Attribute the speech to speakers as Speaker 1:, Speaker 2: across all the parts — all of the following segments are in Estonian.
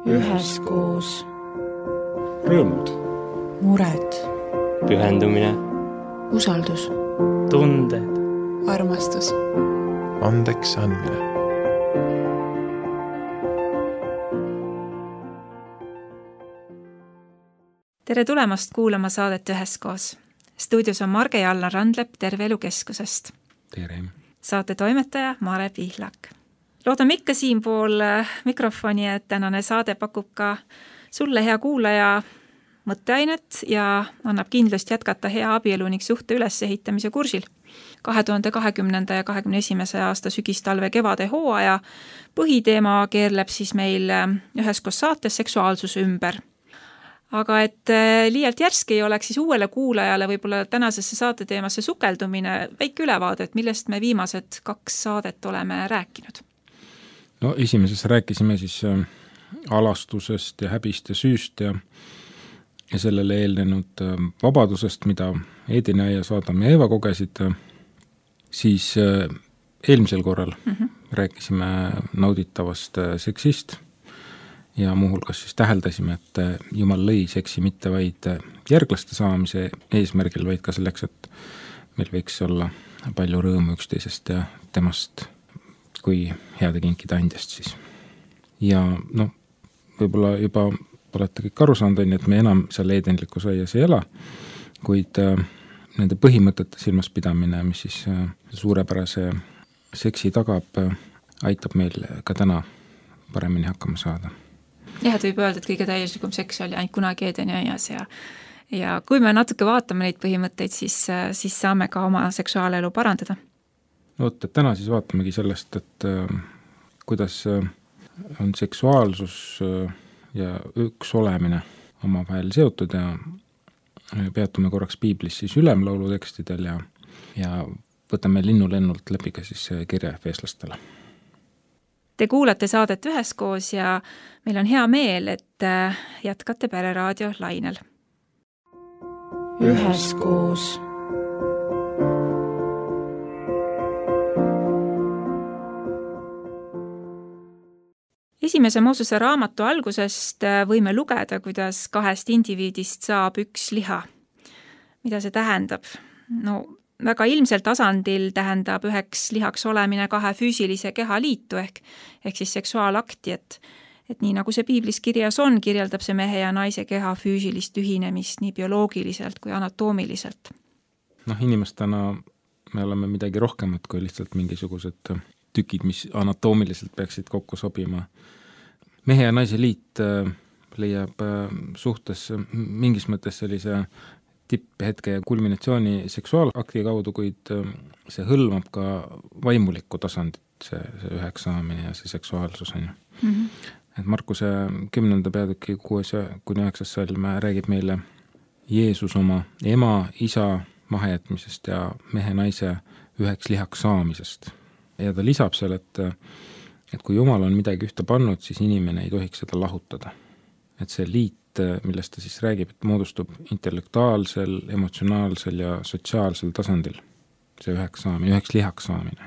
Speaker 1: üheskoos.
Speaker 2: Rõõmud,
Speaker 1: mured,
Speaker 3: pühendumine,
Speaker 1: usaldus,
Speaker 3: tunded,
Speaker 1: armastus,
Speaker 4: andeks andmine.
Speaker 5: Tere tulemast kuulama saadet Üheskoos. Stuudios on Marge ja Allan Randlep Terve Elu Keskusest.
Speaker 2: tere.
Speaker 5: Saate toimetaja Mare Pihlak. Loodame ikka siinpool mikrofoni, et tänane saade pakub ka sulle, hea kuulaja, mõtteainet ja annab kindlust jätkata hea abielu ning suhte ülesehitamise kursil. 2020. ja 2021. aasta sügistalve kevade hooaja põhiteema keerleb siis meil Üheskoos saates seksuaalsuse ümber. Aga et liialt järsk ei oleks siis uuele kuulajale võib-olla tänasesse saate teemasse sukeldumine, väike ülevaade, et millest me viimased 2 saadet oleme rääkinud.
Speaker 2: No esimeses rääkisime siis alastusest ja häbist ja süüst ja sellele eelnenud vabadusest, mida Eedina ja Saadam ja Eeva kogesid. Siis eelmisel korral rääkisime nauditavast seksist ja muuhulgas siis täheldasime, et Jumal lõi seksi mitte vaid järglaste saamise eesmärgil, vaid ka selleks, et meil võiks olla palju rõõmu üksteisest ja temast kui heade kinkide andjast siis. Ja võib-olla juba olete kõik aru saanud, et me enam seal eedenlikus aias ei ela, kuid nende põhimõtete silmas pidamine, mis siis suurepärase seksi tagab, aitab meil ka täna paremini hakkama saada.
Speaker 5: Jah, et võib öelda, et kõige täielikum seks oli ainult kunagi Eedeni aias ja kui me natuke vaatame neid põhimõtteid, siis saame ka oma seksuaalelu parandada.
Speaker 2: Et täna siis vaatamegi sellest, et kuidas on seksuaalsus ja üks olemine omavahel seotud ja peatume korraks piiblis siis ülemlaulu tekstidel ja võtame linnulennult läbi ka siis kirja efeeslastele.
Speaker 5: Te kuulate saadet Üheskoos ja meil on hea meel, et jätkate Pereraadio lainel.
Speaker 1: Üheskoos.
Speaker 5: Esimese Moosese raamatu algusest võime lugeda, kuidas 2 indiviidist saab 1 liha. Mida see tähendab? Väga ilmsel tasandil tähendab 1 lihaks olemine 2 füüsilise keha liitu ehk siis seksuaalakti, et nii nagu see piiblis kirjas on, kirjeldab see mehe ja naise keha füüsilist ühinemist nii bioloogiliselt kui anatoomiliselt.
Speaker 2: Inimestena me oleme midagi rohkemat kui lihtsalt mingisugused tükid, mis anatoomiliselt peaksid kokku sobima. Mehe ja naise liit leiab suhtes mingis mõttes sellise tipphetke ja kulminatsiooni seksuaalakti kaudu, kuid see hõlmab ka vaimulikku tasandit, see 1 saamine ja see seksuaalsus on. Et Markuse 10. peatüki 6-9 salm räägib meile Jeesus oma ema, isa mahajätmisest ja mehe naise 1 lihaks saamisest. Ja ta lisab seal, et kui Jumal on midagi ühte pannud, siis inimene ei tohiks seda lahutada. Et see liit, millest ta siis räägib, et moodustub intellektuaalsel, emotsionaalsel ja sotsiaalsel tasandil. See 1 saamine, 1 lihaks saamine.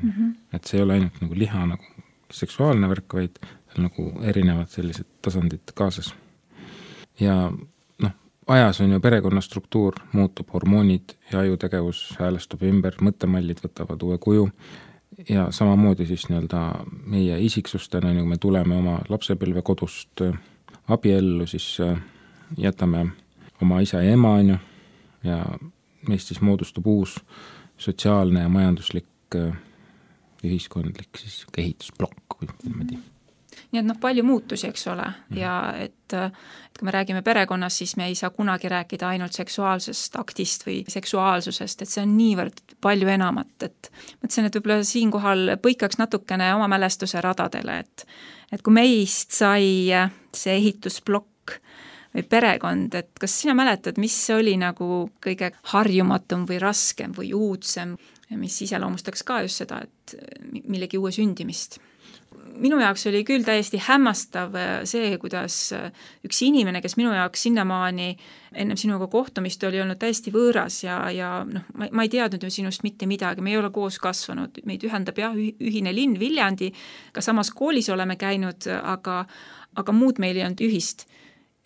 Speaker 2: Et see ei ole ainult nagu liha nagu seksuaalne värk, vaid nagu erinevad sellised tasandid kaasas. Ja ajas on ju perekonna struktuur, muutub, hormoonid ja ajutegevus häälestub ümber, mõttemallid võtavad uue kuju ja samamoodi siis meie isiksustena, nagu me tuleme oma lapsepõlve kodust abiellu, siis jätame oma isa ja ema ja meist siis moodustub uus sotsiaalne ja majanduslik ühiskondlik siis ehitusplokk või niimoodi.
Speaker 5: Nii et palju muutusi, eks ole, ja et kui me räägime perekonnas, siis me ei saa kunagi rääkida ainult seksuaalsest aktist või seksuaalsusest, et see on niivõrd palju enamat, et mõtlesin, et võib-olla siinkohal põikaks natukene oma mälestuse radadele, et kui meist sai see ehitusplokk või perekond, et kas sina mäletad, mis oli nagu kõige harjumatum või raskem või uudsem, mis iseloomustaks ka just seda, et millegi uue sündimist? Minu jaoks oli küll täiesti hämmastav see, kuidas üks inimene, kes minu jaoks sinnamaani ennem sinuga kohtumist oli olnud täiesti võõras ja ma ei teadnud ju sinust mitte midagi, me ei ole koos kasvanud, meid ühendab ühine linn Viljandi, ka samas koolis oleme käinud, aga muud meil ei olnud ühist.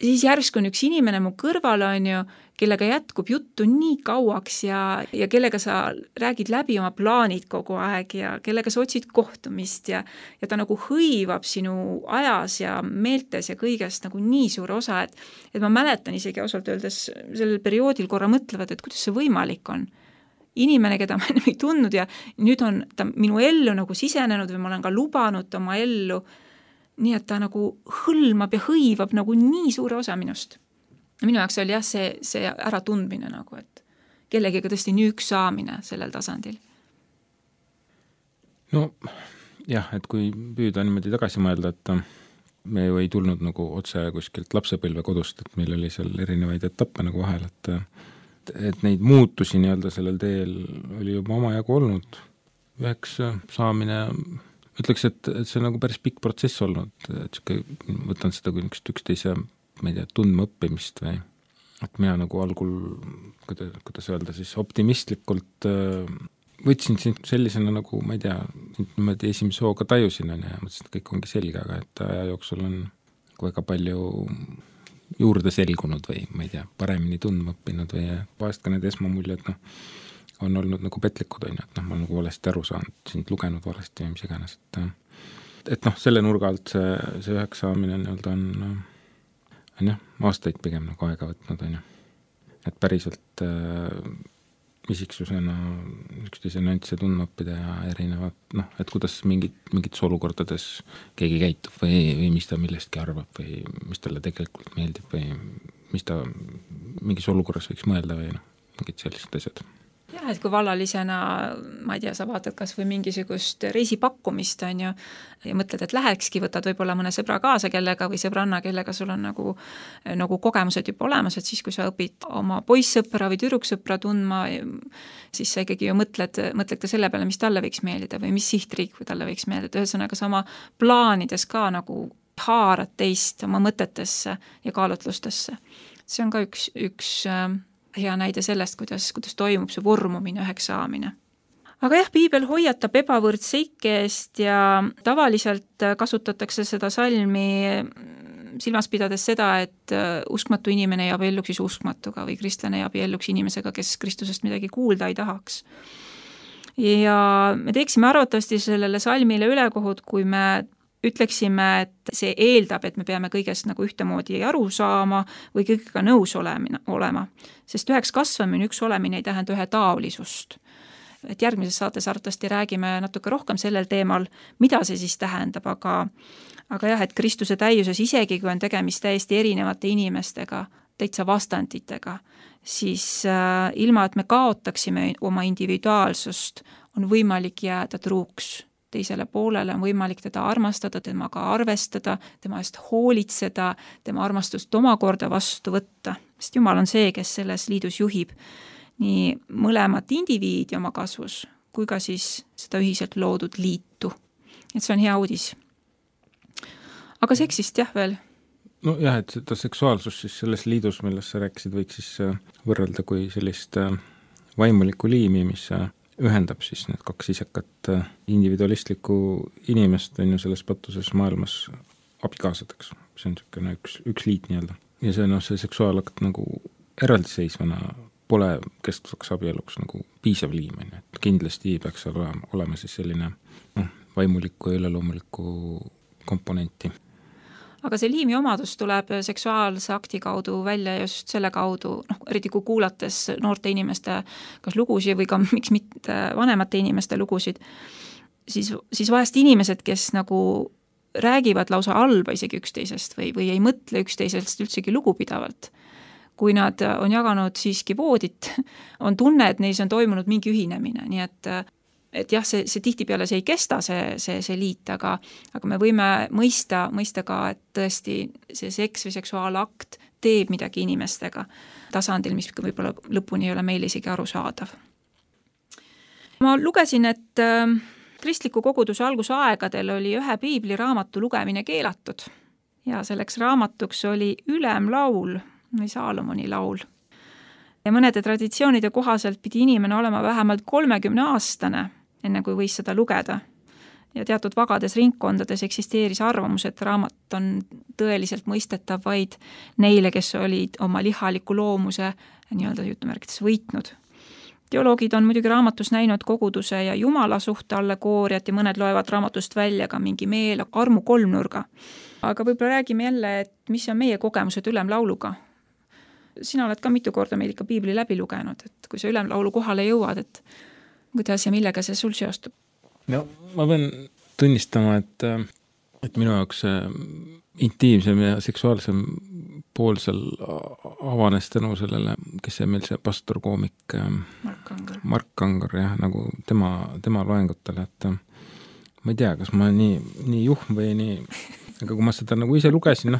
Speaker 5: Siis järsku on üks inimene mu kõrval, on ju, kellega jätkub juttu nii kauaks ja kellega sa räägid läbi oma plaanid kogu aeg ja kellega sa otsid kohtumist ja ta nagu hõivab sinu ajas ja meeltes ja kõigest nagu nii suur osa, et ma mäletan isegi ausalt öeldes sellel perioodil korra mõtlevad, et kuidas see võimalik on. Inimene, keda ma ennem ei tundnud ja nüüd on ta minu ellu nagu sisenenud või ma olen ka lubanud oma ellu, nii et ta nagu hõlmab ja hõivab nagu nii suure osa minust. Minu jaoks oli jah see äratundmine nagu, et kellegiga tõesti nii üks saamine sellel tasandil.
Speaker 2: No jah, et kui püüda niimoodi tagasi mõelda, et me ju ei tulnud nagu otse kuskilt lapsepõlve kodust, et meil oli seal erinevaid etappe nagu vahel, et neid muutusi nii-öelda sellel teel oli juba omajagu olnud. Üheks saamine, ütleks, et see on nagu päris pikk protsess olnud, et võtan seda kui üksteise, ma ei tea, tundma õppimist või et mina nagu algul, kuidas öelda siis, optimistlikult võtsin sind sellisena nagu, ma ei tea, niimoodi esimese hooga tajusin ja mõtlesin, et kõik ongi selge, aga et aja jooksul on väga palju juurde selgunud või ma ei tea, paremini tundma õppinud või vahest ka need esmamuljed, on olnud nagu petlikud, on ju, et ma olen nagu valesti aru saanud, sind lugenud valesti või mis iganes, et selle nurga alt see üheks saamine nii-öelda on jah, aastaid pigem nagu aega võtnud, on ju. Et päriselt isiksusena üksteise nüansse tundma õppida ja erinevad, et kuidas mingites olukordades keegi käitub või mis ta millestki arvab või mis talle tegelikult meeldib või mis ta mingis olukorras võiks mõelda või mingid sellised asjad.
Speaker 5: Jah, et kui vallalisena, ma ei tea, sa vaatad kas või mingisugust reisipakkumist, on ju, ja mõtled, et lähekski, võtad võib-olla mõne sõbra kaasa kellega või sõbranna, kellega sul on nagu kogemused juba olemas, et siis, kui sa õpid oma poissõpra või tüdruksõpra tundma, siis sa ikkagi ju mõtled ka selle peale, mis talle võiks meeldida või mis sihtriik või talle võiks meeldida. Ühesõnaga sama plaanides ka nagu haarad teist oma mõtetesse ja kaalutlustesse. See on ka üks hea näide sellest, kuidas toimub see vormumine, üheks saamine. Aga jah, piibel hoiatab ebavõrdseike eest ja tavaliselt kasutatakse seda salmi silmas pidades seda, et uskmatu inimene ei abielluks siis uskmatuga või kristlane ei abielluks inimesega, kes Kristusest midagi kuulda ei tahaks. Ja me teeksime arvatavasti sellele salmile ülekohut, kui me ütleksime, et see eeldab, et me peame kõigest nagu ühtemoodi aru saama või kõigega nõus olema. Sest üheks kasvamine, üks olemine ei tähenda ühe taolisust. Et järgmises saates arvatavasti räägime natuke rohkem sellel teemal, mida see siis tähendab, aga jah, et Kristuse täiuses isegi, kui on tegemist täiesti erinevate inimestega, täitsa vastanditega, siis ilma, et me kaotaksime oma individuaalsust, on võimalik jääda truuks teisele poolele, on võimalik teda armastada, temaga arvestada, tema eest hoolitseda, tema armastust omakorda vastu võtta. Sest Jumal on see, kes selles liidus juhib nii mõlemat indiviidi oma kasvus, kui ka siis seda ühiselt loodud liitu. Et see on hea uudis. Aga seksist jah veel?
Speaker 2: No jah, et seda seksuaalsust siis selles liidus, millest sa rääkisid, võiks siis võrrelda kui sellist vaimulikku liimi, mis ühendab siis need kaks isekat individualistlikku inimest on ju selles patuses maailmas abikaasadeks. See on niisugune üks liit nii-öelda. Ja see seksuaalakt nagu eraldiseisvana pole kestvaks abieluks nagu piisav liim. Et kindlasti peaks olema siis selline vaimulikku ja üleloomulikku komponenti.
Speaker 5: Aga see liimi omadus tuleb seksuaalse akti kaudu välja just selle kaudu, eriti kui kuulates noorte inimeste kas lugusid või ka miks mitte vanemate inimeste lugusid, siis vahest inimesed, kes nagu räägivad lausa halba isegi üksteisest või ei mõtle üksteisest üldsegi lugupidavalt. Kui nad on jaganud siiski voodit, on tunne, et neis on toimunud mingi ühinemine, nii et jah, see tihtipeale see ei kesta, see liit, aga me võime mõista ka, et tõesti see seks või seksuaalakt teeb midagi inimestega tasandil, mis võib-olla lõpuni ei ole meil isegi arusaadav. Ma lugesin, et kristliku koguduse algusaegadel oli ühe piibliraamatu lugemine keelatud ja selleks raamatuks oli Ülemlaul või Saalomoni laul. Ja mõnede traditsioonide kohaselt pidi inimene olema vähemalt 30-aastane, enne kui võis seda lugeda. ja teatud vagades ringkondades eksisteeris arvamus, et raamat on tõeliselt mõistetav vaid neile, kes olid oma lihaliku loomuse nii-öelda jutumärkides võitnud. Teoloogid on muidugi raamatus näinud koguduse ja jumala suhte allegooriat ja mõned loevad raamatust välja ka mingi meel armu kolmnurga. Aga võib-olla räägime jälle, et mis on meie kogemused ülemlauluga. Sina oled ka mitu korda meil ikka piibli läbi lugenud, et kui sa ülemlaulu kohale jõuad, et kuidas ja millega see sul seostub?
Speaker 2: No ma pean tunnistama, et minu jaoks intiimsem ja seksuaalsem pool seal avanes tänu sellele, kes see meil see pastorkoomik Mark Kangar jah, nagu tema loengutele, et ma ei tea, kas ma nii juhm või nii, aga kui ma seda nagu ise lugesin,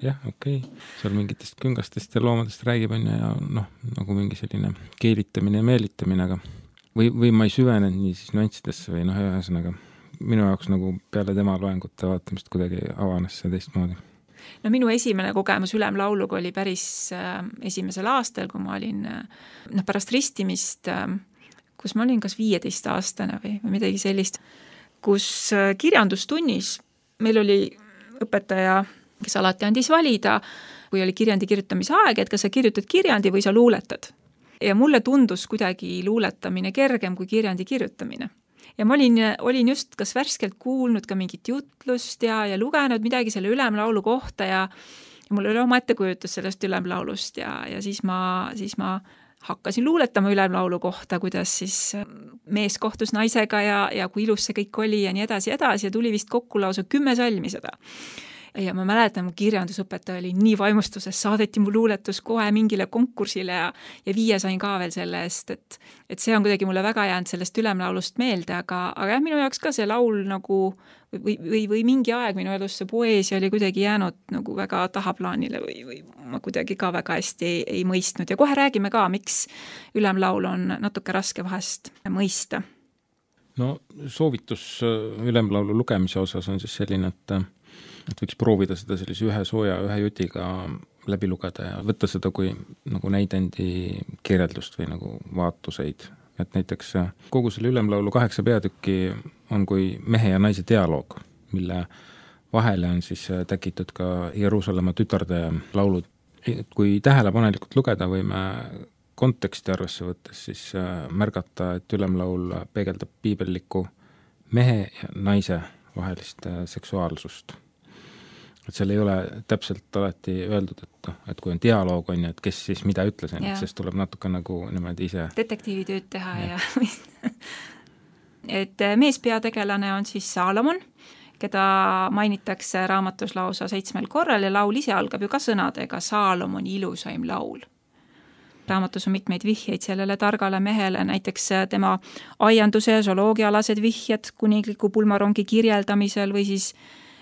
Speaker 2: jah, okei. Seal mingitest küngastest ja loomadest räägib ja nagu mingi selline keelitamine ja meelitamine, aga või ma ei süvenenud nii siis nüanssidesse või ühesõnaga minu jaoks nagu peale tema loengute vaatamist kuidagi avanes see teistmoodi.
Speaker 5: No minu esimene kogemus ülemlauluga oli päris esimesel aastal, kui ma olin pärast ristimist, kus ma olin kas 15-aastane või midagi sellist, kus kirjandustunnis meil oli õpetaja, kes alati andis valida, kui oli kirjandi kirjutamise aeg, et kas sa kirjutad kirjandi või sa luuletad. Ja mulle tundus kuidagi luuletamine kergem kui kirjandi kirjutamine. Ja ma olin just kas värskelt kuulnud ka mingit jutlust ja lugenud midagi selle ülemlaulu kohta ja mul oli oma ettekujutus sellest ülemlaulust ja siis ma hakkasin luuletama ülemlaulu kohta, kuidas siis mees kohtus naisega ja kui ilus see kõik oli ja nii edasi ja tuli vist kokku lausa 10 salmi seda. Ja ma mäletan, mu kirjandusõpetaja oli nii vaimustuses, saadeti mu luuletus kohe mingile konkursile ja 5 sain ka veel selle eest, et see on kuidagi mulle väga jäänud sellest ülemlaulust meelde, aga jah, minu jaoks ka see laul nagu või mingi aeg minu elus see poeesia oli kuidagi jäänud nagu väga tahaplaanile või ma kuidagi ka väga hästi ei mõistnud ja kohe räägime ka, miks ülemlaul on natuke raske vahest mõista.
Speaker 2: No soovitus ülemlaulu lugemise osas on siis selline, et võiks proovida seda sellise ühe jutiga läbi lugeda ja võtta seda kui nagu näidendi kirjeldust või nagu vaatuseid. Et näiteks kogu selle ülemlaulu 8 peatükki on kui mehe ja naise dialoog, mille vahele on siis täkitud ka Jeruusalemma tütarde laulud. Kui tähelepanelikult lugeda võime konteksti arvesse võttes, siis märgata, et ülemlaul peegeldab piibellikku mehe ja naise vahelist seksuaalsust. Et seal ei ole täpselt alati öeldud, et kui on dialoog, on ju, et kes siis mida ütles, sest tuleb natuke nagu niimoodi ise
Speaker 5: detektiivitööd teha ja et meespeategelane on siis Saalomon, keda mainitakse raamatus lausa 7 korral ja laul ise algab ju ka sõnadega Saalomoni ilusaim laul. Raamatus on mitmeid vihjeid sellele targale mehele, näiteks tema aianduse ja zooloogialased vihjed kuningliku pulmarongi kirjeldamisel või siis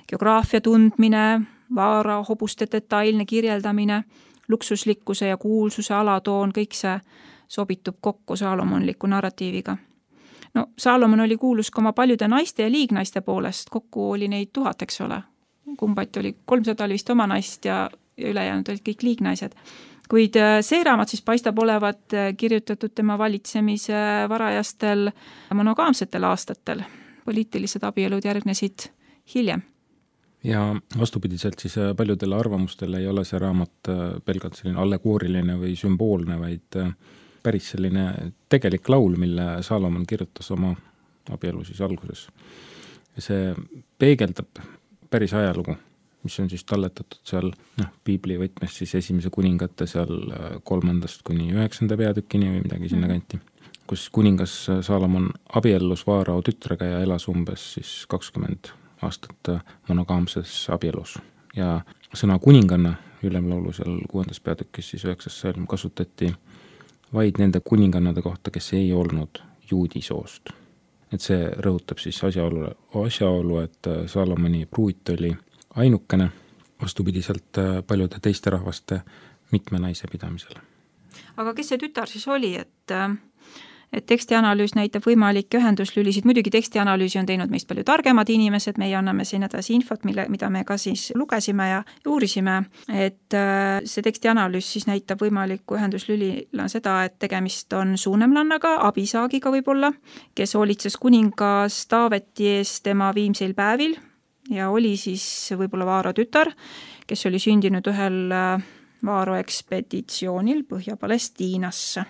Speaker 5: geograafia tundmine, vaara hobuste detailne kirjeldamine, luksuslikkuse ja kuulsuse alatoon, kõik see sobitub kokku saalomonliku narratiiviga. No Saalomon oli kuulus ka oma paljude naiste ja liignaiste poolest, kokku oli neid 1000, eks ole. Kumbati oli 300 oli vist oma naist ja ülejäänud olid kõik liignaised. Kuid see raamat siis paistab olevat kirjutatud tema valitsemise varajastel monogaamsetel aastatel. Poliitilised abielud järgnesid hiljem.
Speaker 2: Ja vastupidiselt siis paljudele arvamustele ei ole see raamat pelgalt selline allegooriline või sümboolne, vaid päris selline tegelik laul, mille Saalomon kirjutas oma abielu siis alguses. Ja see peegeldab päris ajalugu, mis on siis talletatud seal piibli võtmes siis esimese kuningate seal 3. kuni 9. peatükini või midagi sinna kanti, kus kuningas Saalomon abiellus Vaarao tütrega ja elas umbes siis 20 aastat monogaamses abielus. Ja sõna kuninganna ülemlaulu seal 6. peatükis siis 9. salm kasutati vaid nende kuningannade kohta, kes ei olnud juudi soost. Et see rõhutab siis asjaolu, et Saalomoni pruut oli ainukene vastupidiselt paljude teiste rahvaste mitme naise pidamisele.
Speaker 5: Aga kes see tütar siis oli, et tekstianalüüs näitab võimalikke ühenduslülisid, muidugi tekstianalüüsi on teinud meist palju targemad inimesed, meie anname siin edasi infot, mida me ka siis lugesime ja uurisime, et see tekstianalüüs siis näitab võimalikku ühenduslülina seda, et tegemist on suunemlannaga, abisaagiga võib-olla, kes hoolitses kuningas Taaveti ees tema viimseil päevil ja oli siis võib-olla Vaaro tütar, kes oli sündinud ühel Vaaro ekspeditsioonil Põhja-Palestiinasse.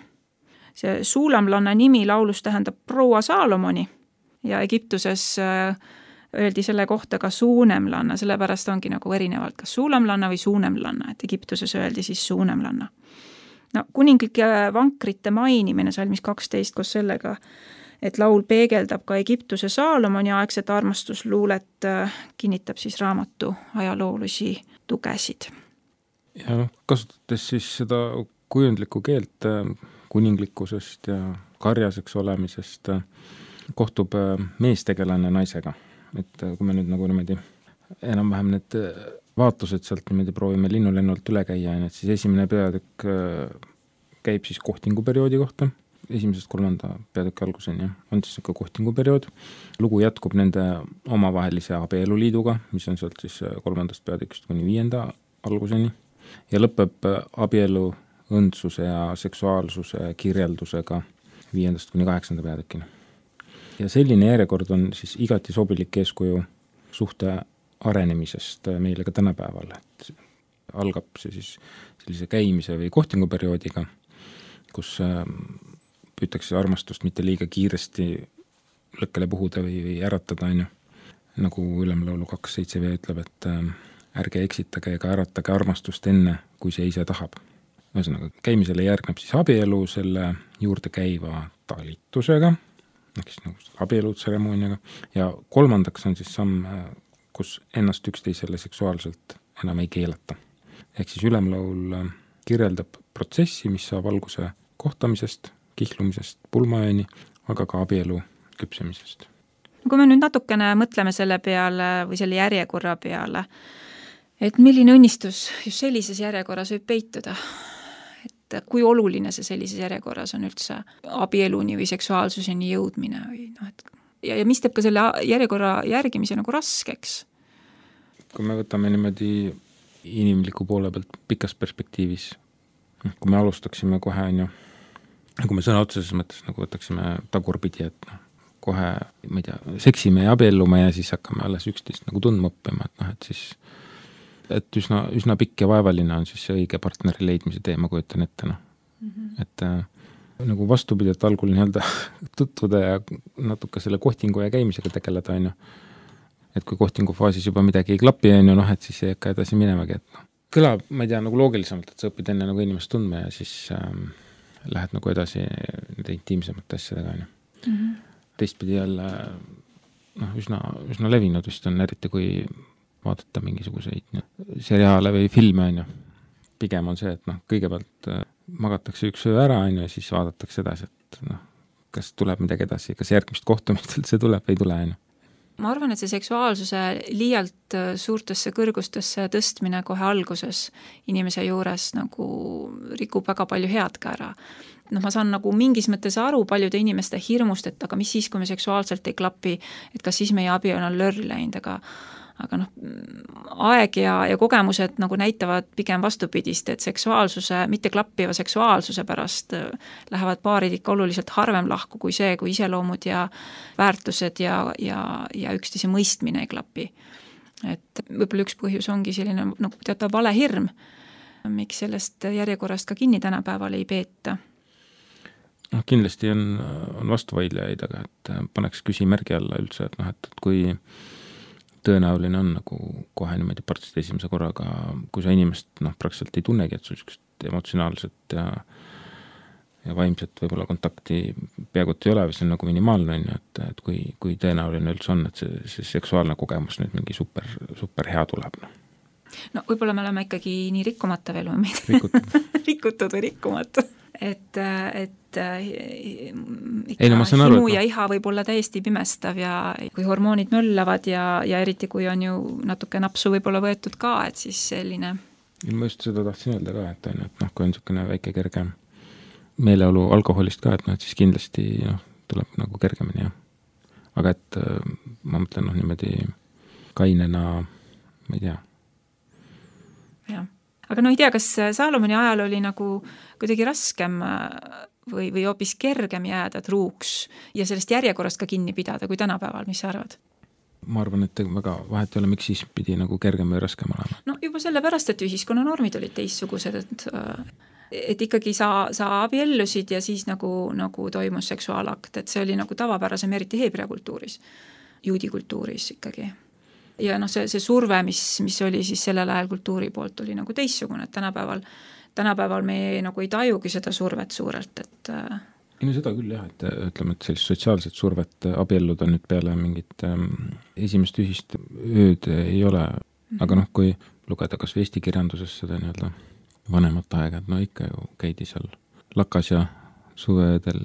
Speaker 5: See suulamlanna nimi laulus tähendab proua Saalomoni ja Egiptuses öeldi selle kohta ka suunemlanna, sellepärast ongi nagu erinevalt kas suulamlanna või suunemlanna, et Egiptuses öeldi siis suunemlanna. No, kuninglike vankrite mainimine salmis 12 koos sellega, et laul peegeldab ka Egiptuse Saalomoni aegset armastusluulet, kinnitab siis raamatu ajaloolisi tugesid.
Speaker 2: Ja kasutades siis seda kujundlikku keelt kuninglikkusest ja karjaseks olemisest, kohtub meestegelane naisega. Et kui me nüüd nagu niimoodi enam-vähem need vaatlused sealt niimoodi proovime linnulennult üle käia, et siis esimene peatükk käib siis kohtinguperioodi kohta, 1.–3. peatüki alguseni on siis niisugune kohtinguperiood. Lugu jätkub nende omavahelise abieluliiduga, mis on sealt siis 3. peatükist kuni 5. alguseni ja lõpeb abielu õndsuse ja seksuaalsuse kirjeldusega 5. kuni 8. peatükini. Ja selline järjekord on siis igati sobilik eeskuju suhte arenemisest meile ka tänapäeval. Et algab see siis sellise käimise või kohtinguperioodiga, kus püütakse armastust mitte liiga kiiresti lõkkele puhuda või äratada, nagu Ülemlaulu 2.7 ütleb, et ärge eksitage ega äratage armastust enne, kui see ise tahab. Ühesõnaga, käimisele järgneb siis abielu selle juurde käiva talitusega, nagu abielutseremooniaga, ja 3. on siis samm, kus ennast üksteisele seksuaalselt enam ei keelata. Ehk siis Ülemlaul kirjeldab protsessi, mis saab alguse kohtamisest, kihlumisest pulmaööni, aga ka abielu küpsemisest.
Speaker 5: Kui me nüüd natukene mõtleme selle peale või selle järjekorra peale, et milline õnnistus just sellises järjekorras võib peituda, et kui oluline see sellises järjekorras on üldse abieluni või seksuaalsuseni jõudmine või ja mis teeb ka selle järjekorra järgimise nagu raskeks?
Speaker 2: Kui me võtame niimoodi inimliku poole pealt pikas perspektiivis, kui me alustaksime kohe, kui me sõna otseses mõttes nagu võtaksime tagurpidi, et kohe, ma ei tea, seksime ja abiellume ja siis hakkame alles 11 nagu tundma õppima, et siis et üsna pikk ja vaevaline on siis see õige partneri leidmise tee, ma kujutan ette. Et nagu vastupidi, et algul nii-öelda tutvuda ja natuke selle kohtingu ja käimisega tegeleda, et kui kohtingu faasis juba midagi ei klapi, et siis ei hakka edasi minemagi, et kõlab, ma ei tea, nagu loogilisemalt, et sa õpid enne nagu inimest tundma ja siis lähed nagu edasi nende intiimsemate asjadega. Teistpidi jälle üsna levinud vist on, eriti kui vaadata mingisuguseid seriaale või filme, pigem on see, et kõigepealt magatakse üks öö ära, ja siis vaadatakse edasi, et kas tuleb midagi edasi, kas järgmist kohtumist üldse tuleb või ei tule.
Speaker 5: Ma arvan, et see seksuaalsuse liialt suurtesse kõrgustesse tõstmine kohe alguses inimese juures nagu rikub väga palju head ka ära. Ma saan nagu mingis mõttes aru paljude inimeste hirmust, et aga mis siis, kui me seksuaalselt ei klapi, et kas siis meie abi on lörri läinud, aga aeg ja kogemused nagu näitavad pigem vastupidist, et seksuaalsuse, mitte klappiva seksuaalsuse pärast lähevad paarid ikka oluliselt harvem lahku kui see, kui iseloomud ja väärtused ja üksteise mõistmine ei klapi. Et võib-olla üks põhjus ongi selline teatav valehirm, miks sellest järjekorrast ka kinni tänapäeval ei peeta.
Speaker 2: Kindlasti on vastuvaidlejaid, aga et paneks küsimärgi alla üldse, et kui tõenäoline on nagu kohe niimoodi partsid esimese korraga, kui sa inimest praktiliselt ei tunnegi, et sul emotsionaalset ja vaimset võib-olla kontakti peaaegu ei ole, või see on nagu minimaalne, et kui tõenäoline üldse on, et see seksuaalne kogemus nüüd mingi super hea tuleb.
Speaker 5: No võib-olla me oleme ikkagi nii rikkumata veel või rikutud või rikkumata. Et himu ja iha võib olla täiesti pimestav ja kui hormoonid möllavad ja eriti kui on ju natuke napsu võib-olla võetud ka, et siis selline.
Speaker 2: Ma just seda tahtsin öelda ka, et kui on niisugune väike kerge meeleolu alkoholist ka, et noh, et siis kindlasti tuleb nagu kergemini, jah. Aga et ma mõtlen niimoodi kainena, ma ei tea.
Speaker 5: Jah. Aga ei tea, kas Salomoni ajal oli nagu kuidagi raskem või hoopis kergem jääda truuks ja sellest järjekorrast ka kinni pidada kui tänapäeval, mis sa arvad?
Speaker 2: Ma arvan, et väga vahet ei ole, miks siis pidi nagu kergem või raskem olema.
Speaker 5: No juba sellepärast, et ühiskonnanormid olid teistsugused, et ikkagi sa abiellusid ja siis nagu toimus seksuaalakt, et see oli nagu tavapärasem, eriti heebrea kultuuris, juudi kultuuris ikkagi. Ja see surve, mis oli siis sellel ajal kultuuri poolt, oli nagu teistsugune, et tänapäeval me nagu ei tajugi seda survet suurelt, et
Speaker 2: seda küll jah, et ütleme, et sellist sotsiaalset survet abielluda nüüd peale mingit esimest ühist ööd ei ole, aga kui lugeda kas või eesti kirjanduses seda nii-öelda vanemat aega, et ikka ju käidi seal lakas ja suvedel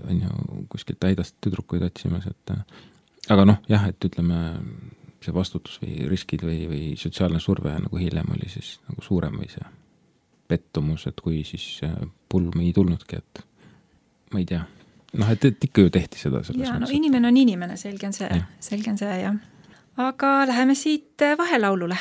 Speaker 2: on ju kuskilt täidast tüdrukuid otsimas, et aga jah, et ütleme see vastutus või riskid või sotsiaalne surve nagu hiljem oli siis nagu suurem või see pettumus, et kui siis pulm ei tulnudki, et ma ei tea. Et ikka ju tehti seda selles
Speaker 5: mõttes. Inimene on inimene, selge on see, jah. Aga läheme siit vahelaulule.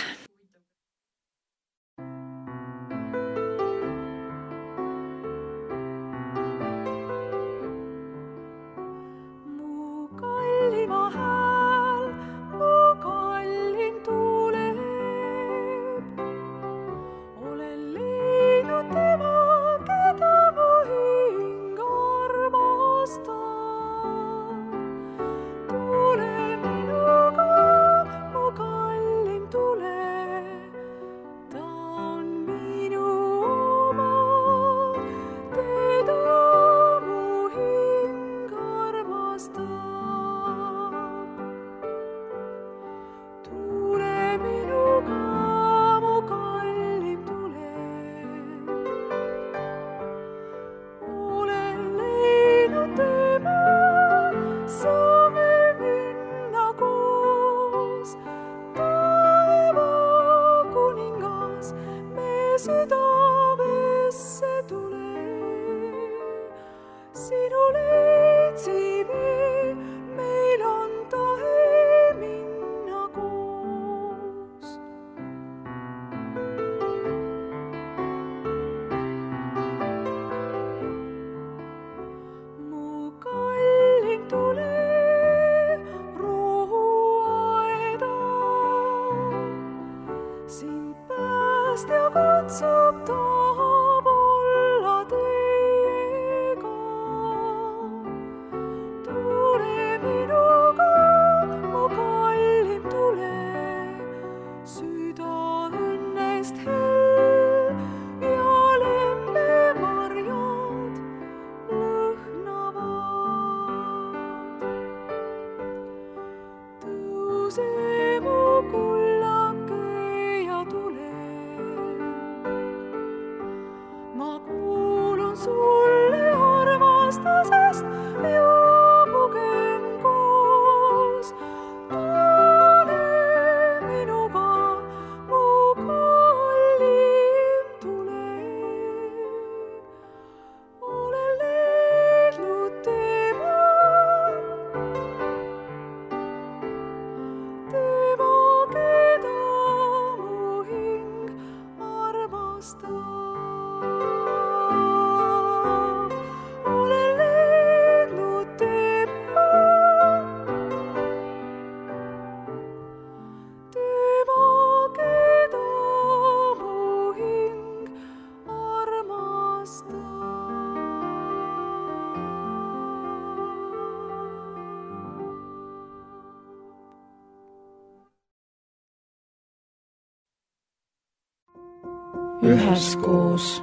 Speaker 1: Üheskoos.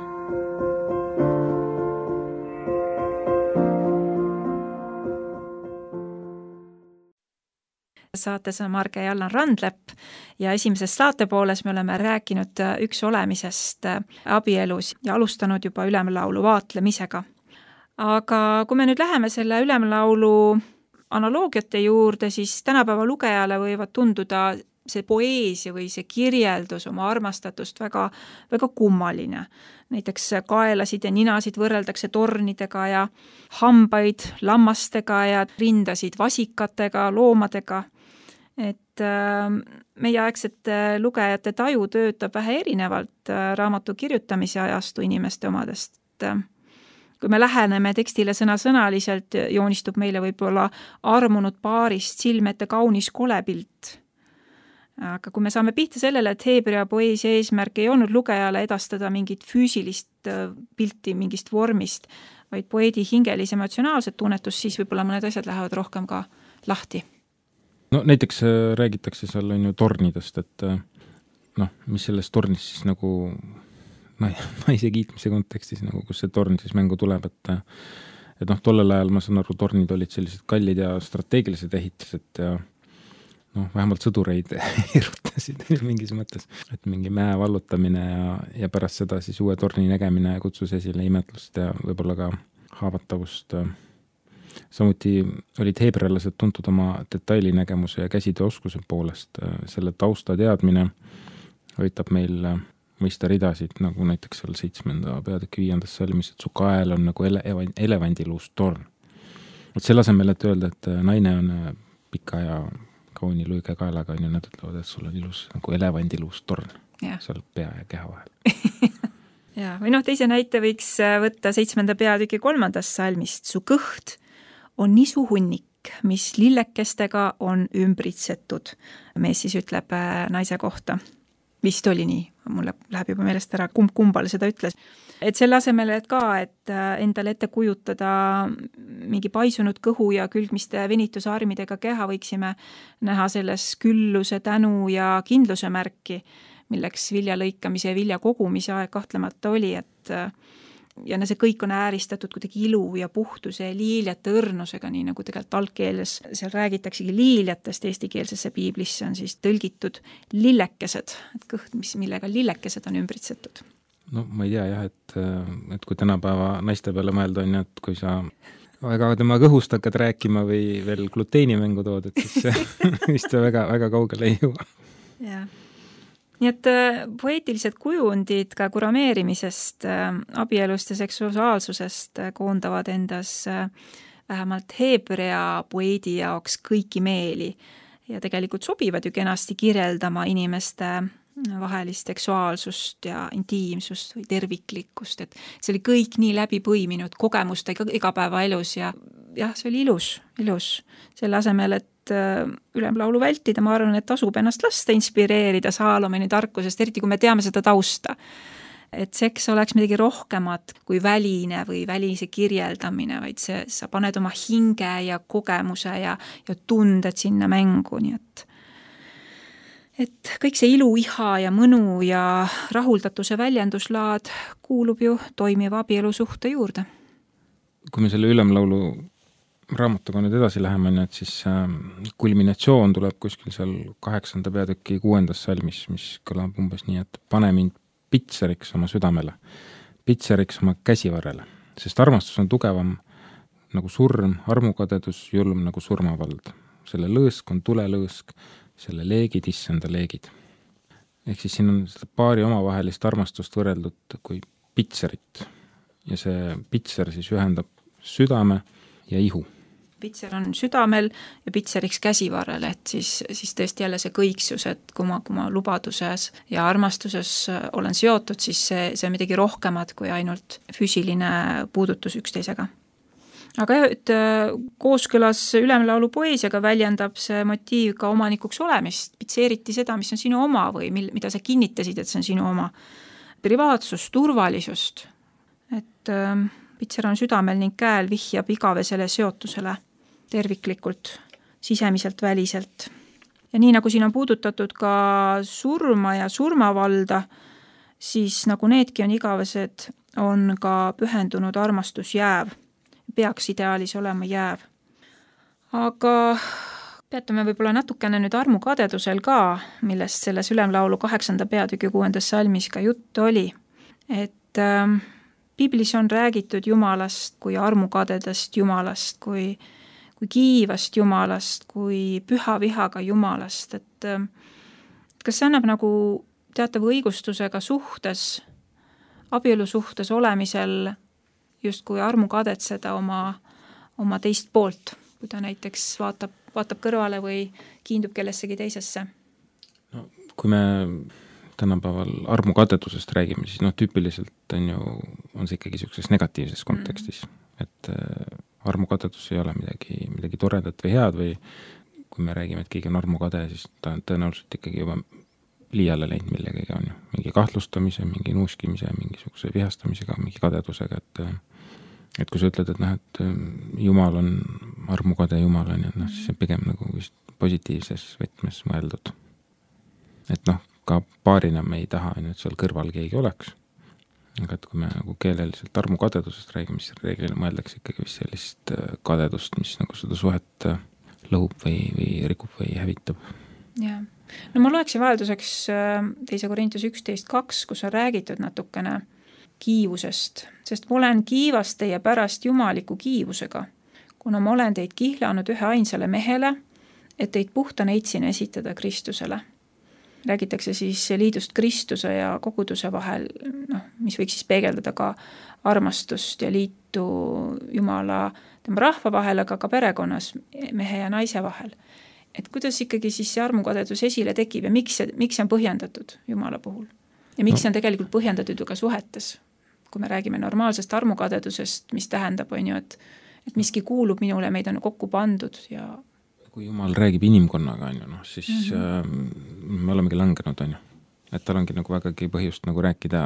Speaker 5: Saates on Marge ja Allan Randlepp ja esimeses saatepooles me oleme rääkinud üks olemisest abielus ja alustanud juba ülemlaulu vaatlemisega. Aga kui me nüüd läheme selle ülemlaulu analoogiate juurde, siis tänapäeva lugejale võivad tunduda see poeesia või see kirjeldus oma armastatust väga, väga kummaline. Näiteks kaelasid ja ninasid võrreldakse tornidega ja hambaid lammastega ja rindasid vasikatega, loomadega. Et meieaegsete lugejate taju töötab vähe erinevalt raamatu kirjutamise ajastu inimeste omadest. Kui me läheneme tekstile sõnasõnaliselt, joonistub meile võib-olla armunud paarist silmete kaunis kolepilt. Aga kui me saame pihta sellele, et Heebrea poeesia eesmärk ei olnud lugejale edastada mingit füüsilist pilti mingist vormist, vaid poeedi hingelis emotsionaalset tunnetust, siis võib-olla mõned asjad lähevad rohkem ka lahti.
Speaker 2: No näiteks räägitakse seal on ju tornidest, et mis selles tornis siis nagu naise kiitmise kontekstis, nagu kus see torn siis mängu tuleb, et tollel ajal ma saan aru, tornid olid sellised kallid ja strateegilised ehitised ja vähemalt sõdureid erutasid mingis mõttes, et mingi mäe vallutamine ja pärast seda siis uue torni nägemine kutsus esile imetlust ja võib-olla ka haavatavust. Samuti olid heebrealased tuntud oma detailinägemuse ja käsitööoskuse poolest. Selle tausta teadmine aitab meil mõista ridasid, nagu näiteks seal 7. peatüki 5. salmis, et su kael on nagu elevandiluust torn. Et selle asemel, et öelda, et naine on pika ja kauni luige kaelaga, on ju, nad ütlevad, et sul on ilus nagu elevandiluust torn seal pea ja keha vahel.
Speaker 5: Ja, või teise näite võiks võtta 7. peatüki 3. salmist. Su kõht on nisu hunnik, mis lillekestega on ümbritsetud. Mees siis ütleb naise kohta. Vist oli nii, mulle läheb juba meelest ära, kumbal seda ütles. Et selle asemel, et endale ette kujutada mingi paisunud kõhu ja külgmiste venitusarmidega keha, võiksime näha selles külluse, tänu ja kindluse märki, milleks vilja lõikamise ja vilja kogumise aeg kahtlemata oli, ja see kõik on ääristatud kuidagi ilu ja puhtuse ja liiljate õrnusega, nii nagu tegelikult algkeeles seal räägitaksegi liiljatest, eestikeelsesse piiblisse on siis tõlgitud lillekesed, et kõht, millega lillekesed on ümbritsetud.
Speaker 2: No ma ei tea jah, et kui tänapäeva naiste peale mõelda on, et kui sa väga tema kõhust hakkad rääkima või veel gluteenimängu tood, et siis vist väga, väga kaugele ei jõua.
Speaker 5: Jah. Nii et poeetilised kujundid ka kurameerimisest, abielust ja seksuaalsusest koondavad endas vähemalt heebrea poeedi jaoks kõiki meeli ja tegelikult sobivad ju kenasti kirjeldama inimeste vahelist seksuaalsust ja intiimsust või terviklikkust, et see oli kõik nii läbi põiminud kogemustega igapäevaelus ja see oli ilus. Selle asemel, et ülemlaulu vältida, ma arvan, et tasub ennast lasta inspireerida Saalomoni tarkusest, eriti kui me teame seda tausta. Et seks oleks midagi rohkemat kui väline või välise kirjeldamine, vaid sa paned oma hinge ja kogemuse ja tunded sinna mängu, nii et kõik see ilu, iha ja mõnu ja rahuldatuse väljenduslaad kuulub ju toimiva abielusuhte juurde.
Speaker 2: Kui me selle ülemlaulu raamatuga nüüd edasi läheme, et siis kulminatsioon tuleb kuskil seal 8. peatüki 6. salmis, mis kõlab umbes nii, et pane mind pitseriks oma südamele, pitseriks oma käsivarrele, sest armastus on tugevam nagu surm, armukadedus julm nagu surmavald. Selle lõõsk on tulelõõsk, selle leegid issanda leegid. Ehk siis siin on seda paari omavahelist armastust võrreldud kui pitserit ja see pitser siis ühendab südame ja ihu.
Speaker 5: Pitser on südamel ja pitseriks käsivarrel, et siis tõesti jälle see kõiksus, et kui ma lubaduses ja armastuses olen seotud, siis see on midagi rohkemat kui ainult füüsiline puudutus üksteisega. Aga et kooskõlas ülemlaulu poeesiaga väljendab see motiiv ka omanikuks olemist, pitseeriti seda, mis on sinu oma või mida sa kinnitasid, et see on sinu oma privaatsust, turvalisust, et pitser on südamel ning käel vihjab igavesele seotusele terviklikult, sisemiselt, väliselt. Ja nii nagu siin on puudutatud ka surma ja surmavalda, siis nagu needki on igavesed, on ka pühendunud armastus jääv. Peaks ideaalis olema jääv. Aga peatame võib-olla natukene nüüd armukadedusel ka, millest selles ülemlaulu 8. peatüki 6. salmis ka jutt oli. Et piiblis on räägitud Jumalast kui armukadedast Jumalast, kui kiivast Jumalast, kui püha vihaga Jumalast, et kas see annab nagu teatava õigustusega suhtes, abielu suhtes olemisel justkui armukadetseda oma teist poolt, kui ta näiteks vaatab kõrvale või kiindub kellessegi teisesse?
Speaker 2: No, kui me tänapäeval armukadedusest räägime, siis tüüpiliselt on see ikkagi niisuguses negatiivses kontekstis, et armukadedus ei ole midagi toredat või head või kui me räägime, et keegi on armukade, siis ta on tõenäoliselt ikkagi juba liiale läinud millegagi on ju, mingi kahtlustamise, mingi nuuskimise, mingisuguse vihastamisega, mingi kadedusega, et kui sa ütled, et Jumal on armukade Jumal on, siis see pigem nagu vist positiivses võtmes mõeldud. Et ka paarina me ei taha, et seal kõrval keegi oleks. Aga et kui me nagu keeleliselt armukadedusest räägime, siis reeglina mõeldakse ikkagi vist sellist kadedust, mis nagu seda suhet lõhub või rikub või hävitab.
Speaker 5: Jah. No ma loeksin vahelduseks 2. Korintus 11.2, kus on räägitud natukene kiivusest, sest ma olen kiivas teie pärast jumaliku kiivusega, kuna ma olen teid kihlanud ühe ainsale mehele, et teid puhta neitsina esitada Kristusele. Räägitakse siis liidust Kristuse ja koguduse vahel, mis võiks siis peegeldada ka armastust ja liitu Jumala tema rahva vahel, aga ka perekonnas mehe ja naise vahel. Et kuidas ikkagi siis see armukadedus esile tekib ja miks see on põhjendatud Jumala puhul? Ja miks see on tegelikult põhjendatud ju ka suhetes? Kui me räägime normaalsest armukadedusest, mis tähendab, et miski kuulub minule, meid on kokku pandud ja
Speaker 2: kui Jumal räägib inimkonnaga, siis me olemegi langenud, et tal ongi nagu vägagi põhjust nagu rääkida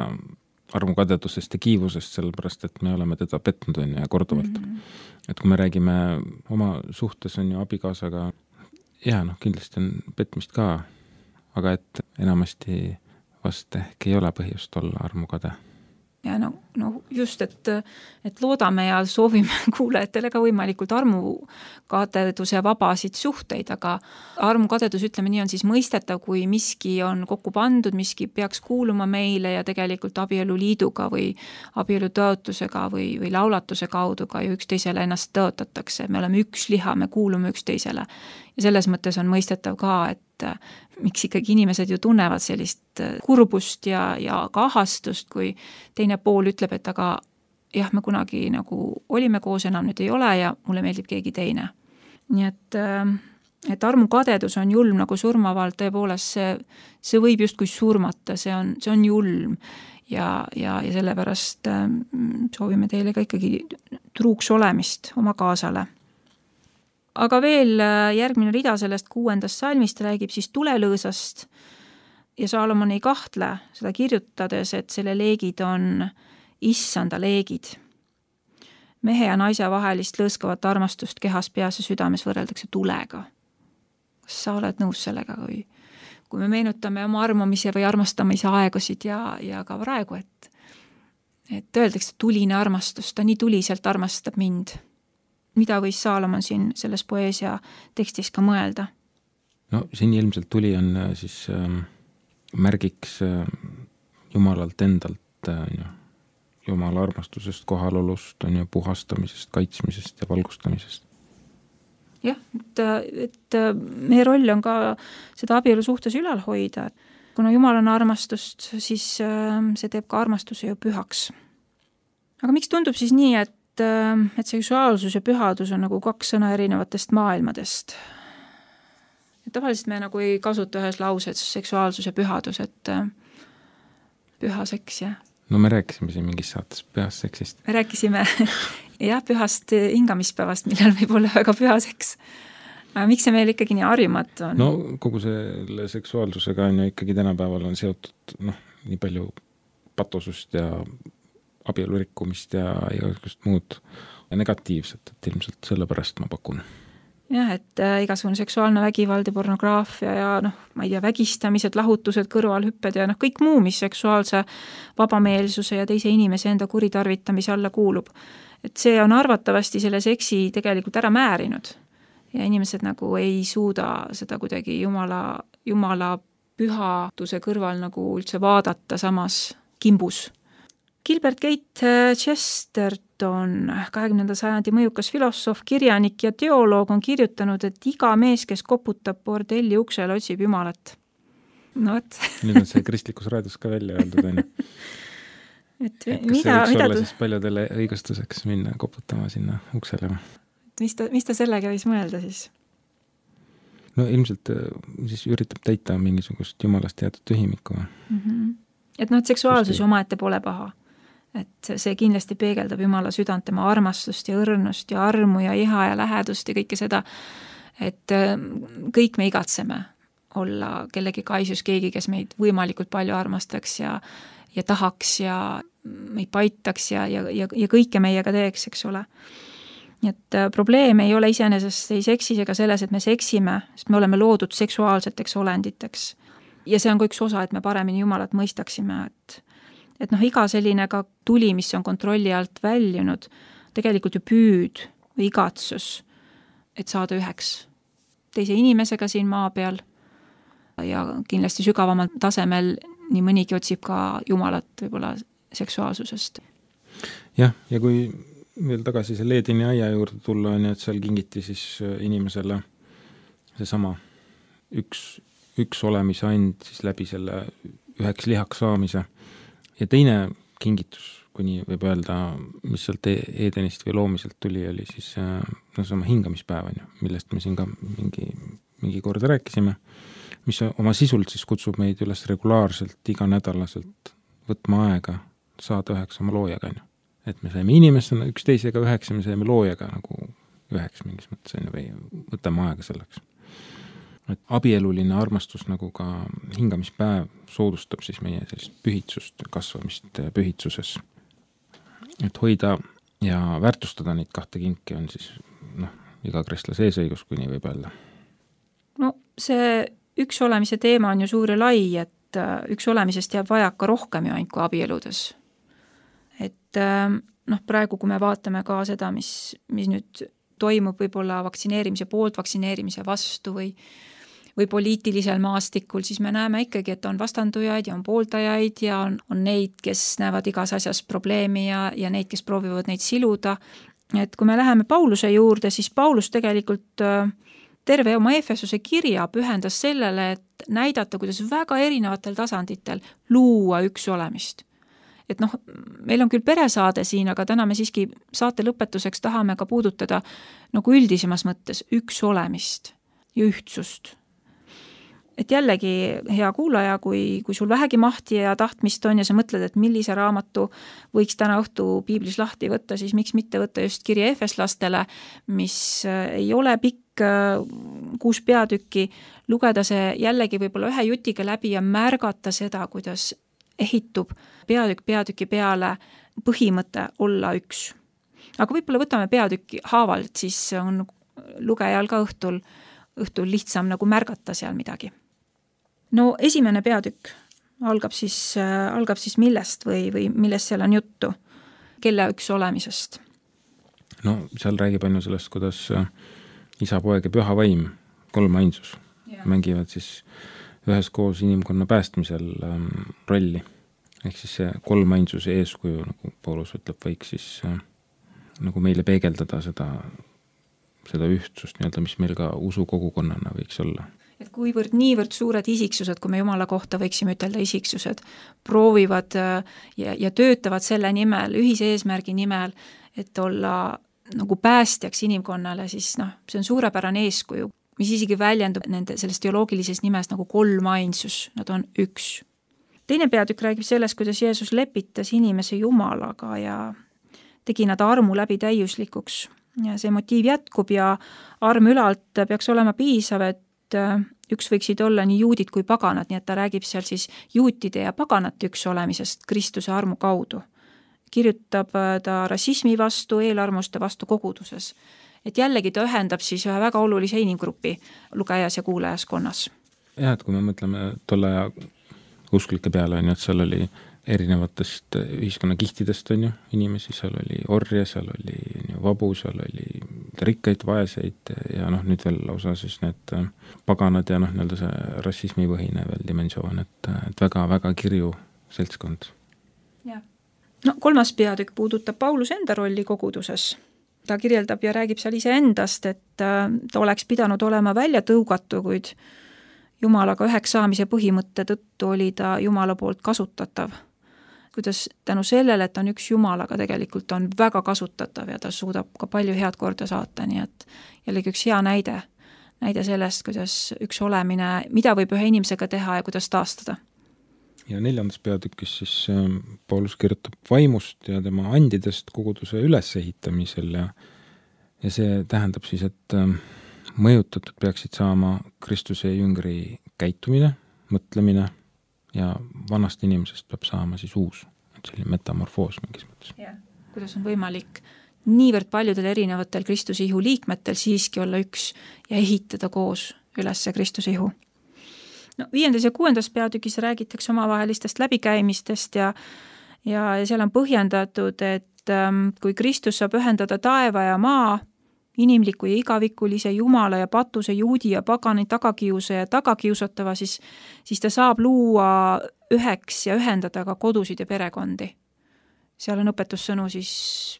Speaker 2: armukadedusest ja kiivusest, sellepärast, et me oleme teda petnud ja korduvalt. Et kui me räägime oma suhtes abikaasaga, kindlasti on petmist ka, aga et enamasti vast ehk ei ole põhjust olla armukade.
Speaker 5: Ja just, et loodame ja soovime kuulajatele ka võimalikult armukadeduse vabasid suhteid, aga armukadedus, ütleme nii, on siis mõistetav, kui miski on kokku pandud, miski peaks kuuluma meile ja tegelikult abieluliiduga või abielutõotusega või laulatuse kaudu ka ju üksteisele ennast tõotatakse. Me oleme üks liha, me kuulume üksteisele. Ja selles mõttes on mõistetav ka, et miks ikkagi inimesed ju tunnevad sellist kurbust ja ka ahastust, kui teine pool ütleb, et aga jah, me kunagi nagu olime koos, enam nüüd ei ole ja mulle meeldib keegi teine. Nii et armukadedus on julm nagu surmavalt, tõepoolest see võib justkui surmata, see on julm ja sellepärast soovime teile ka ikkagi truuks olemist oma kaasale. Aga veel järgmine rida sellest 6. salmist räägib siis tulelõõsast ja Saalomon ei kahtle seda kirjutades, et selle leegid on issanda leegid. Mehe ja naise vahelist lõõskavat armastust kehas, peas ja südames võrreldakse tulega. Kas sa oled nõus sellega, kui me meenutame oma armamise või armastamise aegusid ja ka praegu, et öeldakse tuline armastus, ta nii tuliselt armastab mind. Mida võis Saalomon siin selles poeesia tekstis ka mõelda?
Speaker 2: No siin ilmselt tuli on siis märgiks Jumalalt endalt, Jumala armastusest, kohalolust, puhastamisest, kaitsmisest ja valgustamisest.
Speaker 5: Jah, et meie roll on ka seda abielu suhtes ülal hoida. Kuna Jumal on armastust, siis see teeb ka armastuse ju pühaks. Aga miks tundub siis nii, et seksuaalsus ja pühadus on nagu 2 sõna erinevatest maailmadest? Et tavaliselt me nagu ei kasuta ühes lauses seksuaalsus ja pühadus, et püha seks, jah.
Speaker 2: No me rääkisime siin mingis saates pühast seksist.
Speaker 5: Me rääkisime pühast hingamispäevast, millal võib olla väga püha seks. Aga miks see meil ikkagi nii harjumatu on?
Speaker 2: No kogu selle seksuaalsusega on ju ikkagi tänapäeval on seotud nii palju patosust ja abielu rikkumist ja igasugust muud negatiivset, et ilmselt sellepärast ma pakun.
Speaker 5: Jah, et igasugune seksuaalne vägivald ja pornograafia ja ma ei tea, vägistamised, lahutused, kõrvalhüpped ja kõik muu, mis seksuaalse vabameelsuse ja teise inimese enda kuritarvitamise alla kuulub. Et see on arvatavasti selle seksi tegelikult ära määrinud ja inimesed nagu ei suuda seda kuidagi Jumala pühaduse kõrval nagu üldse vaadata samas kimbus. Gilbert Keith Chesterton, 20. sajandi mõjukas filosoof, kirjanik ja teoloog on kirjutanud, et iga mees, kes koputab bordelli uksel, otsib Jumalat. no vot.
Speaker 2: Nüüd on see kristlikus raadios ka välja öeldud, on ju.
Speaker 5: Et
Speaker 2: kas see võiks olla siis paljudele õigustuseks minna koputama sinna uksele?
Speaker 5: Mis ta sellega võis mõelda siis?
Speaker 2: No ilmselt siis üritab täita mingisugust jumalast teatud tühimikku.
Speaker 5: Et noh, et seksuaalsus omaette pole paha. Et see kindlasti peegeldab Jumala südant, tema armastust ja õrnust ja armu ja iha ja lähedust ja kõike seda, et kõik me igatseme olla kellegi kaisus, keegi, kes meid võimalikult palju armastaks ja tahaks ja meid paitaks ja kõike meiega teeks, eks ole. Nii et probleem ei ole iseenesest ei seksis ega selles, et me seksime, sest me oleme loodud seksuaalseteks olenditeks. Ja see on ka üks osa, et me paremini Jumalat mõistaksime, et noh, iga selline ka tuli, mis on kontrolli alt väljunud, tegelikult ju püüd või igatsus, et saada üheks teise inimesega siin maa peal ja kindlasti sügavamal tasemel nii mõnigi otsib ka Jumalat võib-olla seksuaalsusest.
Speaker 2: Jah, ja kui veel tagasi selle Edeni aia juurde tulla, on ju, et seal kingiti siis inimesele seesama üks olemise and siis läbi selle üheks lihaks saamise. Ja teine kingitus, kuni võib öelda, mis sealt Edenist või loomiselt tuli, oli siis sama hingamispäev, on ju, millest me siin ka mingi kord rääkisime, mis oma sisult siis kutsub meid üles regulaarselt, iganädalaselt võtma aega saada üheks oma loojaga, on ju. Et me saime inimestena üksteisega üheks ja me saime loojaga nagu üheks mingis mõttes, on ju, või võtame aega selleks. Et abieluline armastus nagu ka hingamispäev soodustab siis meie sellist pühitsust, kasvamist pühitsuses. Et hoida ja väärtustada neid kahte kinki on siis iga kristlase eesõigus, kui nii võib öelda.
Speaker 5: No see üks olemise teema on ju suur ja lai, et üks olemisest jääb vajaka rohkem ju ainult kui abieludes. Et praegu, kui me vaatame ka seda, mis nüüd toimub võib-olla vaktsineerimise poolt, vaktsineerimise vastu või poliitilisel maastikul, siis me näeme ikkagi, et on vastandujaid ja on pooldajaid ja on neid, kes näevad igas asjas probleemi ja neid, kes proovivad neid siluda. Et kui me läheme Pauluse juurde, siis Paulus tegelikult terve oma Efesuse kirja pühendas sellele, et näidata, kuidas väga erinevatel tasanditel luua üks olemist. Et meil on küll peresaade siin, aga täna me siiski saate lõpetuseks tahame ka puudutada nagu üldisemas mõttes üks olemist ja ühtsust. Et jällegi, hea kuulaja, kui sul vähegi mahti ja tahtmist on ja sa mõtled, et millise raamatu võiks täna õhtu piiblis lahti võtta, siis miks mitte võtta just kirja efeslastele, mis ei ole pikk 6 peatükki, lugeda see jällegi võib-olla ühe jutiga läbi ja märgata seda, kuidas ehitub peatüki peale põhimõte olla üks. Aga võib-olla võtame peatükki haavalt, siis on lugejal ka õhtul lihtsam nagu märgata seal midagi. No esimene peatükk algab siis millest või millest seal on juttu, kelle üks olemisest?
Speaker 2: No seal räägib ainult sellest, kuidas isa, poeg ja püha vaim, 3 ainsus, mängivad siis üheskoos inimkonna päästmisel rolli. Ehk siis see 3 ainsuse eeskuju, nagu Paulus ütleb, võiks siis nagu meile peegeldada seda ühtsust, mis meil ka usukogukonnana võiks olla.
Speaker 5: Et kuivõrd niivõrd suured isiksused, kui me Jumala kohta võiksime ütelda isiksused, proovivad ja töötavad selle nimel, ühise eesmärgi nimel, et olla nagu päästjaks inimkonnale, siis see on suurepärane eeskuju, mis isegi väljendub nende sellest teoloogilises nimes nagu 3 ainsus, nad on üks. Teine peatükk räägib sellest, kuidas Jeesus lepitas inimese Jumalaga ja tegi nad armu läbi täiuslikuks. Ja see motiiv jätkub ja arm ülalt peaks olema piisav, et üks võiksid olla nii juudid kui paganad, nii et ta räägib seal siis juutide ja paganate üks olemisest Kristuse armu kaudu. Kirjutab ta rassismi vastu, eelarmuste vastu koguduses. Et jällegi ta ühendab siis ühe väga olulise inimgrupi lugejas ja kuulajaskonnas.
Speaker 2: Jah, et kui me mõtleme tolle aja usklike peale, on ju, et seal oli erinevatest ühiskonnakihtidest, on ju, inimesi, seal oli orje, seal oli vabu, seal oli rikkaid, vaeseid ja nüüd veel lausa siis need paganad ja nii-öelda see rassismipõhine veel dimensioon, et väga-väga kirju seltskond.
Speaker 5: Ja. 3. peatükk puudutab Paulus enda rolli koguduses. Ta kirjeldab ja räägib seal ise endast, et ta oleks pidanud olema välja tõugatu, kuid Jumalaga üheks saamise põhimõtte tõttu oli ta Jumala poolt kasutatav. Kuidas tänu sellele, et on üks Jumalaga tegelikult on väga kasutatav ja ta suudab ka palju head korda saata, nii et jällegi üks hea näide sellest, kuidas üks olemine, mida võib ühe inimesega teha ja kuidas taastada.
Speaker 2: Ja 4. peatükis siis Paulus kirjutab vaimust ja tema andidest koguduse ülesehitamisel ja see tähendab siis, et mõjutatud peaksid saama Kristuse jüngri käitumine, mõtlemine ja vanast inimesest peab saama siis uus, selline metamorfoos mingis mõttes.
Speaker 5: Ja, kuidas on võimalik niivõrd paljudel erinevatel Kristuse ihu liikmetel siiski olla üks ja ehitada koos üles Kristuse ihu. No, 5. ja 6. peatükis räägitakse omavahelistest läbikäimistest ja seal on põhjendatud, et kui Kristus saab ühendada taeva ja maa, inimliku ja igavikulise Jumala ja patuse, juudi ja pagani tagakiuse ja tagakiusatava, siis ta saab luua üheks ja ühendada ka kodusid ja perekondi. Seal on õpetussõnu siis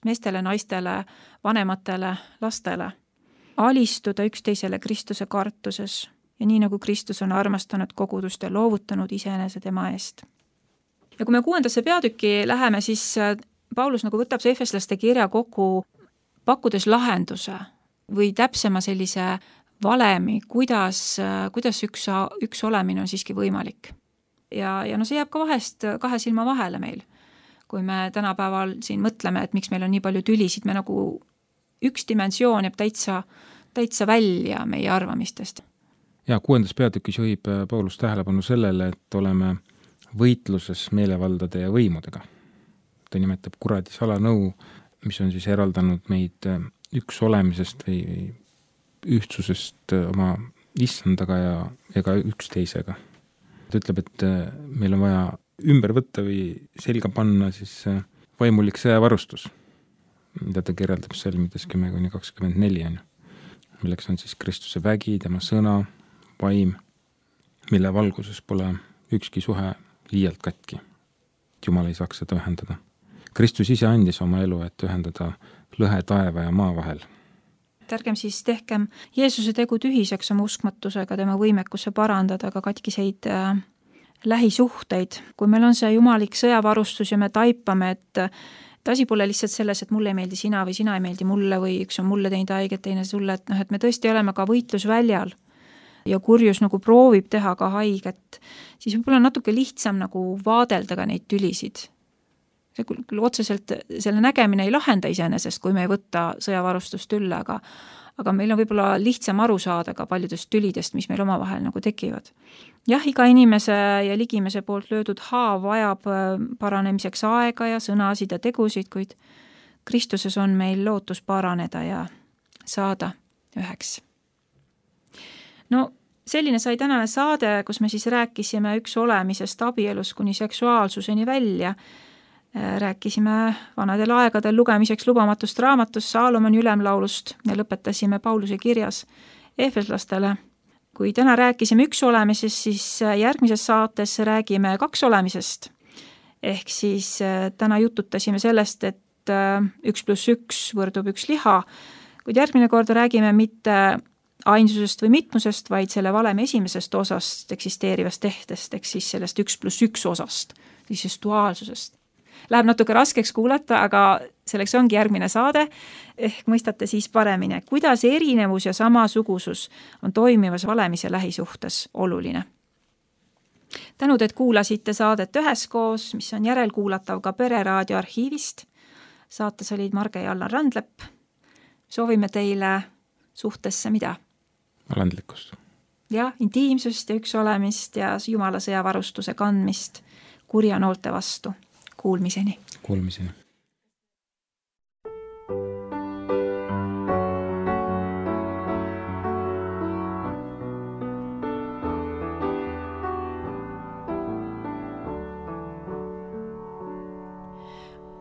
Speaker 5: meestele, naistele, vanematele, lastele. Alistuda üksteisele Kristuse kartuses ja nii nagu Kristus on armastanud kogudust ja loovutanud iseenese tema eest. Ja kui me 6. peatükki läheme, siis Paulus nagu võtab see efeslaste kirja kokku pakkudes lahenduse või täpsema sellise valemi, kuidas üks olemine on siiski võimalik. Ja see jääb ka vahest 2 silma vahele meil. Kui me tänapäeval siin mõtleme, et miks meil on nii palju tülisid, me nagu üks dimensioon jääb täitsa välja meie arvamistest.
Speaker 2: Ja 6. peatükis juhib Paulus tähelepanu sellele, et oleme võitluses meelevaldade ja võimudega. Ta nimetab kuradi salanõu, mis on siis eraldanud meid üks olemisest või ühtsusest oma issandaga ja ka üksteisega. Ta ütleb, et meil on vaja ümber võtta või selga panna siis vaimulik sõjavarustus, mida ta kirjeldab salmides 10-24, milleks on siis Kristuse vägi, tema sõna, vaim, mille valguses pole ükski suhe liialt katki. Jumal ei saaks seda ühendada. Kristus ise andis oma elu, et ühendada lõhe taeva ja maa vahel.
Speaker 5: Ärgem siis tehkem Jeesuse tegu tühiseks oma uskmatusega, tema võimekusse parandada ka katkiseid lähisuhteid. Kui meil on see jumalik sõjavarustus ja me taipame, et asi pole lihtsalt selles, et mulle ei meeldi sina või sina ei meeldi mulle või üks on mulle teinud haiget, teine sulle, et me tõesti oleme ka võitlusväljal ja kurjus nagu proovib teha ka haiget, siis võib-olla natuke lihtsam nagu vaadelda ka neid tülisid. See küll otseselt selle nägemine ei lahenda iseenesest, kui me ei võtta sõjavarustust ülle, aga meil on võib-olla lihtsam aru saada ka paljudest tülidest, mis meil omavahel nagu tekivad. Jah, iga inimese ja ligimese poolt löödud haav vajab paranemiseks aega ja sõnasid ja tegusid, kuid Kristuses on meil lootus paraneda ja saada üheks. No, selline sai tänane saade, kus me siis rääkisime üks olemisest abielus kuni seksuaalsuseni välja. Rääkisime vanadel aegadel lugemiseks lubamatust raamatust Saalomoni ülemlaulust ja lõpetasime Pauluse kirjas efeslastele. Kui täna rääkisime üks olemisest, siis järgmises saates räägime 2 olemisest. Ehk siis täna jututasime sellest, et 1+1 võrdub 1 liha, kuid järgmine kord räägime mitte ainsusest või mitmusest, vaid selle valemi esimesest osast eksisteerivast tehtest, ehk siis sellest 1+1 osast, siis duaalsusest. Läheb natuke raskeks kuulata, aga selleks ongi järgmine saade, ehk mõistate siis paremini, kuidas erinevus ja samasugusus on toimivas valemise lähisuhtes oluline. Tänud, et kuulasite saadet üheskoos, mis on järelkuulatav ka Pereraadio arhiivist. Saates olid Marge ja Allan Randlepp. Soovime teile suhtesse mida?
Speaker 2: Alandlikkust.
Speaker 5: Ja intiimsust ja üks olemist ja Jumala sõjavarustuse kandmist kurja noolte vastu. Kuulmiseni.
Speaker 2: Kuulmiseni.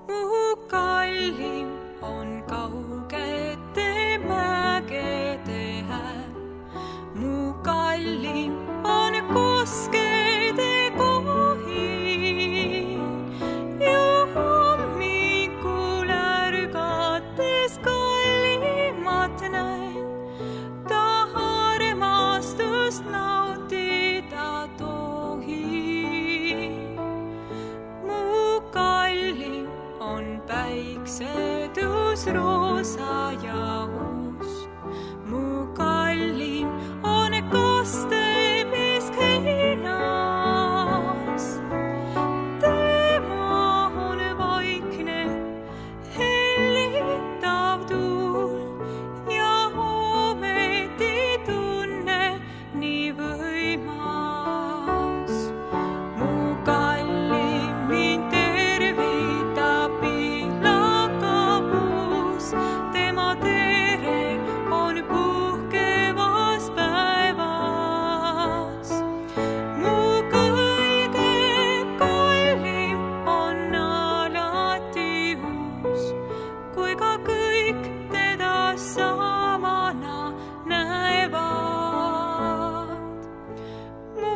Speaker 6: Mu kallim on kaugete mägede hääl. Mu kallim on koskede kohin. Hommikul ärgates kallimat näen, ta armastust nautin. roosa ja uus. Mu kallim on kastepiisk heinas. Tema on vaikne, hellitav tuul ja ometi tunne nii võimas. Mu kallim mind tervitab pihlakapuus. Tema tere on puhkevas päevas. Mu kõige kallim on alati uus, kui ka kõik teda samana näevad. Mu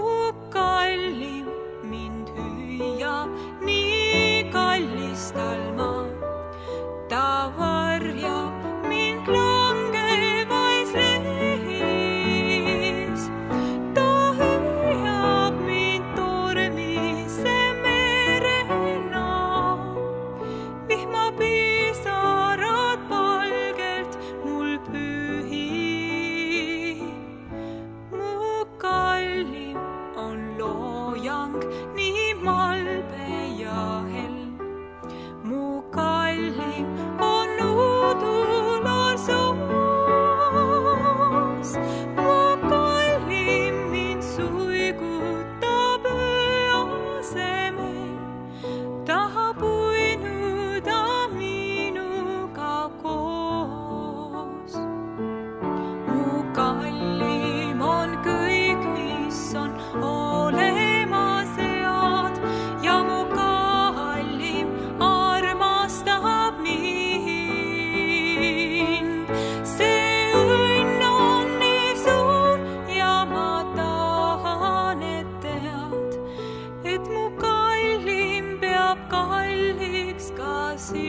Speaker 6: kallim mind hüüab nii kallistal maa. Ta varjab mind langevais lehis. Ta hüüab mind tormise merena. Vihmapisarad palgelt mul pühib. Mu kallim on loojang nii malbe ja hell. Mu kallim on udular soos. Mu kallim mind suigutab öö asemel. Tahab uinuda minuga koos. Mu kallim on kõik, mis on olemas head ja mu kallim armastab mind. See õnn on nii suur ja ma tahan, et tead, et mu kallim peab kalliks ka sind.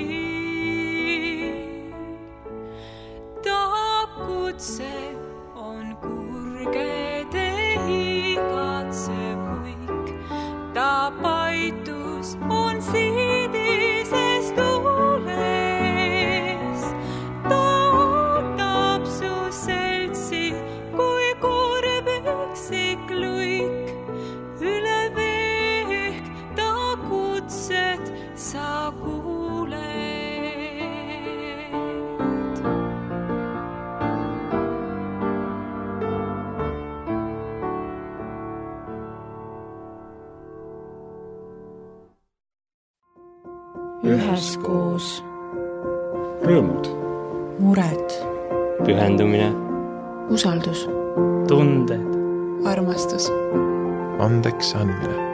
Speaker 6: Ta kutse on kurgede igatsev huik. Ta paitus on siidises tuules. Ta ootab su seltsi, kui kurb üksik luik. Üle veek ta kutset sa kuuled.
Speaker 1: Üheskoos.
Speaker 7: Rõõmud.
Speaker 1: Mured.
Speaker 3: Pühendumine.
Speaker 1: Usaldus.
Speaker 3: Tunded.
Speaker 1: Armastus.
Speaker 4: Andeks andmine.